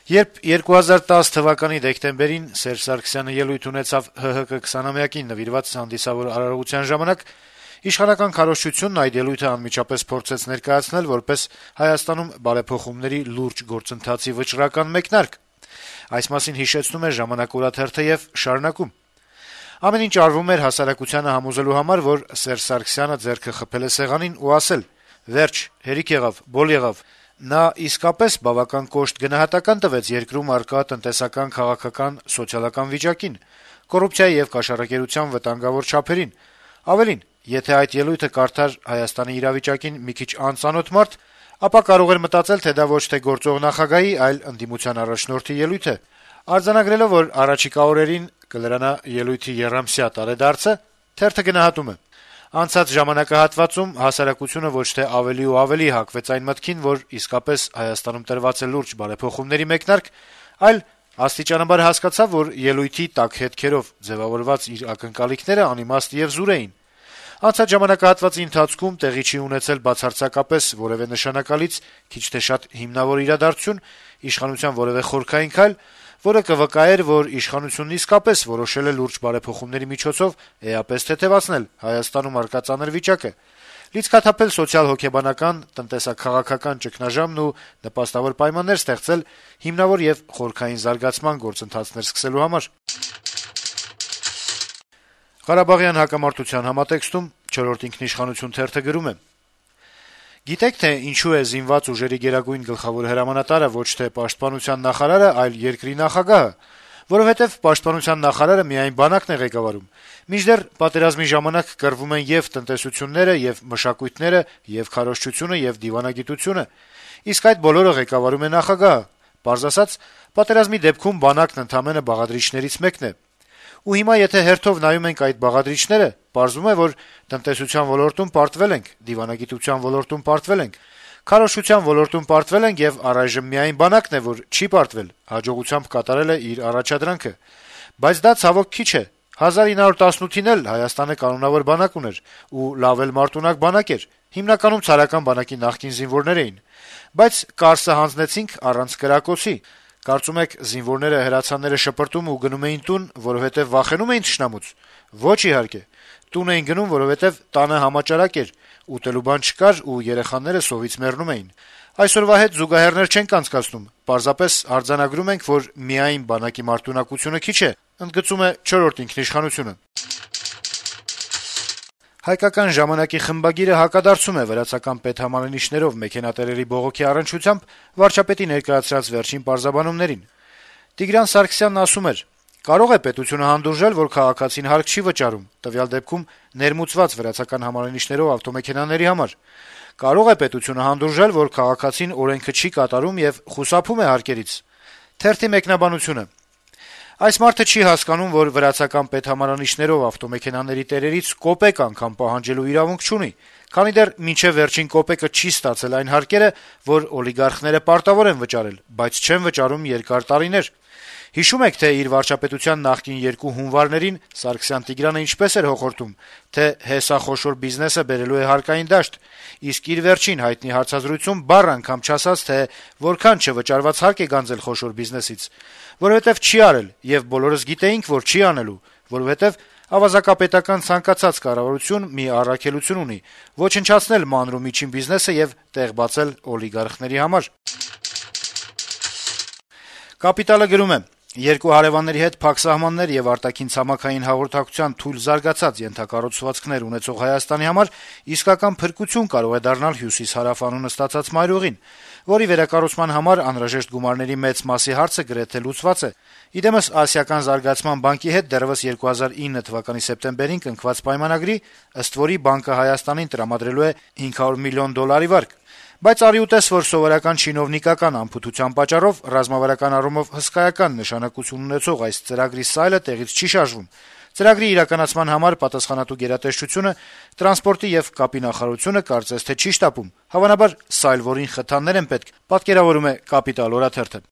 Երբ 2010 թվականի դեկտեմբերին Սերժ Սարգսյանը ելույթ ունեցավ ՀՀԿ 20-ամյակին նվիրված հանդիսավոր արարողության ժամանակ, իշխանական քարոզչությունն այդ ելույթը անմիջապես փորձեց ներկայացնել որպես Հայաստանում բարեփոխումների լուրջ գործընթացի վճռական մեկնարկ։ Այս մասին հիշեցնում է «Ժամանակ» օրաթերթը եւ շարունակում. Ամեն ինչ արվում էր հասարակությանը համոզելու համար, որ Սերժ Սարգսյանը ձեռքը խփել է սեղանին ու ասել. «Վերջ, հերիք եղավ, բոլ եղավ»։ Նա իսկապես բավական կոշտ գնահատական տվեց երկրում առկա տնտեսական, քաղաքական, սոցիալական վիճակին, կոռուպցիայի եւ կաշառակերության վտանգավոր չափերին։ Ավելին, եթե այդ ելույթը կարդար Հայաստանի իրավիճակին մի քիչ անծանոթ մարդ, ապա կարող էր մտածել, թե դա ոչ թե գործող նախագահի, այլ ընդդիմության առաջնորդի ելույթ է։ Արձանագրելով, որ առաջիկա օրերին կլրանա ելույթի եռամսյա տարեդարձը, թերթը գնահատում է. Անցած ժամանակահատվածում հասարակությունը ոչ թե ավելի ու ավելի հակվեց այն մտքին, որ իսկապես Հայաստանում տրված է լուրջ բարեփոխումների մեկնարկ, այլ աստիճանաբար հասկացավ, որ ելույթի տաք հետքերով ձևավորված իր ակնկալիքները անիմաստ եւ զուր էին։ Անցած ժամանակահատվածի ընթացքում տեղի չի ունեցել բացարձակապես որևէ նշանակալից, քիչ թե շատ հիմնավոր իրադարձություն, իշխանության որևէ խորքային քայլ, որը կվկայեր, որ իշխանությունն իսկապես որոշել է լուրջ բարեփոխումների միջոցով էապես թեթևացնել Հայաստանում առկա ծանր վիճակը, լիցքաթափել սոցիալ-հոգեբանական, տնտեսա-քաղաքական ճգնաժամն ու նպաստավոր պայմաններ ստեղծել հիմնավոր եւ խորքային զարգացման գործընթացներ սկսելու համար։ Ղարաբաղյան հակամարտության համատեքստում «Չորրորդ ինքնիշխանություն» թերթը գրում է. «Գիտեք, թե ինչու է զինված ուժերի գերագույն գլխավոր հրամանատարը ոչ թե պաշտպանության նախարարը, այլ երկրի նախագահը, որովհետեւ պաշտպանության նախարարը միայն բանակն է ղեկավարում, մինչդեռ պատերազմի ժամանակ կռվում են եւ տնտեսությունները, եւ մշակույթները, եւ քարոզչությունը, եւ դիվանագիտությունը, իսկ այդ բոլորը ղեկավարում է նախագահը, պարզ ասած, պատերազմի դեպքում բանակն ընդամենը բաղադրիչներից մեկն է։ Ու հիմա եթե հերթով նայում ենք այդ բաղադրիչները, պարզվում է, որ տնտեսության ոլորտում պարտվել ենք, դիվանագիտության ոլորտում պարտվել ենք, քարոզչության ոլորտում պարտվել ենք եւ առայժմ միայն բանակն է, որ չի պարտվել, հաջողությամբ կատարել է իր առաջադրանքը։ Բայց դա ցավոք քիչ է։ 1918-ին էլ Հայաստանը կանոնավոր բանակ ուներ ու լավ էլ մարտունակ բանակ էր, հիմնականում ցարական բանակի նախկին զինվորներ էին, բայց Կարսը հանձնեցինք առանց կրակոցի։ Կարծում եք զինվորները հրացանները շպրտում ու գնում էին տուն, որովհետեւ վախենում էին թշնամուց։ Ոչ իհարկե։ Տուն էին գնում, որովհետեւ տանը համաճարակ էր, ուտելու բան չկար ու երեխաները սովից մեռնում էին։ Այսօրվա հետ զուգահեռներ չենք անցկացնում։ Պարզապես արձանագրում ենք, որ միայն բանակի մարտունակությունը քիչ է, ընդգծում է «Չորրորդ ինքնիշխանությունը»։ Հայկական ժամանակի խմբագիրը հակադարձում է վրացական պետհամալիրիչներով մեքենատերերի բողոքի առնչությամբ վարչապետի ներկայացրած վերջին պարզաբանումներին։ Տիգրան Սարգսյանն ասում էր. «Կարող է պետությունը հանդուրժել, որ քաղաքացին հարկ չի վճարում, տվյալ դեպքում ներմուծված վրացական համալիրիչներով ավտոմեքենաների համար։ Կարող է պետությունը հանդուրժել, որ քաղաքացին օրենքը չի կատարում եւ խուսափում է հարկերից»։ Թերթի մեկնաբանությունը. «Այս մարդը չի հասկանում, որ վրացական պետհամալիրիչներով ավտոմեքենաների տերերից կոպեկ անգամ պահանջելու իրավունք չունի, քանի դեռ մինչեւ վերջին կոպեկը չի ստացել այն հարկերը, որ օլիգարխները պարտավոր են վճարել, բայց չեն վճարում երկար տարիներ։ Հիշում եք, թե իր վարչապետության նախկին երկու հունվարներին Սարգսյան-Տիգրանը ինչպես էր հոխորտում, թե հեսախոշոր բիզնեսը բերելու է հարկային դաշտ, իսկ իր վերջին հայտնի հարցազրույցում բառ անգամ չասաց, թե որքան չվճարված հարկ է գանձել խոշոր բիզնեսից, որովհետեւ չի արել, եւ բոլորս գիտեինք, որ չի անելու, որովհետեւ ավազակապետական ցանկացած կառավարություն մի առաքելություն ունի՝ ոչնչացնել մանր ու միջին բիզնեսը եւ տեղ բացել օլիգարխների համար»։ Կապիտալը գրում է. «Երկու հարեւանների հետ փակ սահմաններ եւ արտաքին ցամաքային հաղորդակցության թույլ զարգացած ենթակառուցվածքներ ունեցող Հայաստանի համար իսկական փրկություն կարող է դառնալ հյուսիս-հարավ անունը ստացած մայրուղին, որի վերակառուցման համար անհրաժեշտ գումարների մեծ մասի հարցը գրեթե լուծված է։ Իդեմս Ասիական զարգացման բանկի հետ դեռեւս 2009 թվականի սեպտեմբերին կնքված պայմանագրի, ըստ որի բանկը Հայաստանին տրամադրելու է $500 միլիոն վարկ։ Բայց արի ուտես, որ սովորական չինովնիկական անփութության պատճառով ռազմավարական առումով հսկայական նշանակություն ունեցող այս ծրագրի սայլը տեղից չի շարժվում։ Ծրագրի իրականացման համար պատասխանատու գերատեսչությունը, տրանսպորտի եւ կապի նախարարությունը կարծես թե չի շտապում։ Հավանաբար սայլ, որին խթաններ են պետք, պատկերավորում է «Կապիտալ» օրաթերթը։